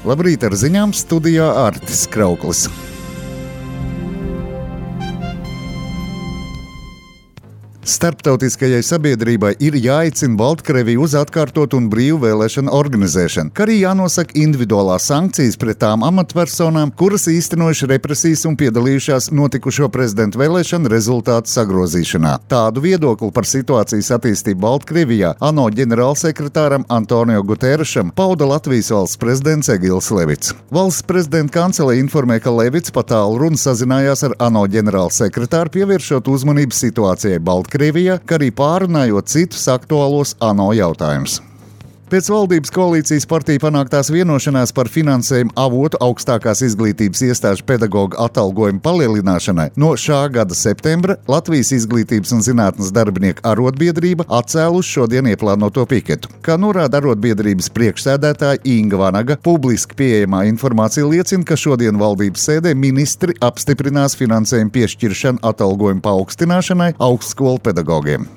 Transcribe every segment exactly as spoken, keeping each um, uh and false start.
Labrīt, ar ziņām studijā Artis Krauklis. Starptautiskajai sabiedrībai ir jāicina Baltkrieviju uz atkārtotu un brīvu vēlēšanu organizēšanu, kā arī jānosaka individuālās sankcijas pret tām amatpersonām, kuras īstenojuši represijas un piedalījušās notikušo prezidentu vēlēšanu rezultātu sagrozīšanā. Tādu viedokli par situācijas attīstību Baltkrievijā ANO ģenerālsekretāram Antonio Guterešam pauda Latvijas valsts prezidents Egils Levits. Valsts prezidenta kancele informē, ka Levits pa tālruni sazinājās ar ANO ģenerālsekretāru, pievēršot uzmanību situācijai Baltkrievijā. Krievijā, kā arī pārunājot citus aktuālos ANO jautājumus. Pēc valdības koalīcijas partiju panāktās vienošanās par finansējumu avotu augstākās izglītības iestāžu pedagoģu atalgojumu palielināšanai no šā gada septembra Latvijas Izglītības un zinātnes darbinieku arotbiedrība atcēlusi šodien ieplānoto piketu. Kā norāda arotbiedrības priekšsēdētāja Inga Vanaga, publiski pieejamā informācija liecina, ka šodien valdības sēdē ministri apstiprinās finansējumu piešķiršanu atalgojumu paaugstināšanai augstskolu pedagogiem.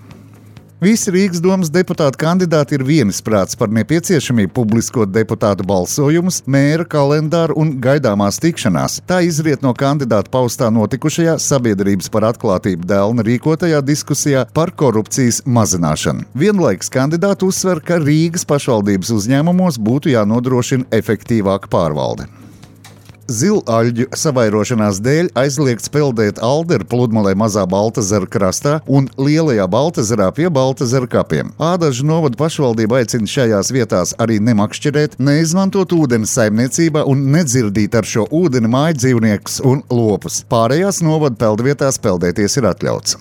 Visi Rīgas domas deputātu kandidāti ir vienisprāts par nepieciešamību publiskot deputātu balsojumus, mēra kalendāru un gaidāmās tikšanās. Tā izriet no kandidātu paustā notikušajā sabiedrības par atklātību dēlna rīkotajā diskusijā par korupcijas mazināšanu. Vienlaikus kandidāti uzsver, ka Rīgas pašvaldības uzņēmumos būtu jānodrošina efektīvāka pārvalde. Zilaļģu savairošanās dēļ aizliegts peldēt Alderu pludmalē Mazā Baltezera krastā un Lielajā Baltezerā pie Baltezera kapiem. Ādažu novada pašvaldība aicina šajās vietās arī nemakšķerēt, neizmantot ūdeni saimniecībā un nedzirdīt ar šo ūdeni māju dzīvniekus un lopus. Pārējās novada peldvietās peldēties ir atļauts.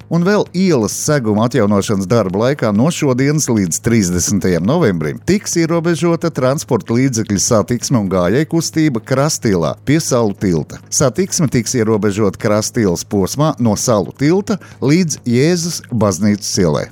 Un vēl ielas seguma atjaunošanas darba laikā no šodienas līdz trīsdesmitajam novembrim tiks ierobežota transporta līdzekļu satiksme un gājēju kustība Krastielā pie Salu tilta. Satiksme tiks ierobežota Krastielas posmā no Salu tilta līdz Jēzus baznīcas ielai.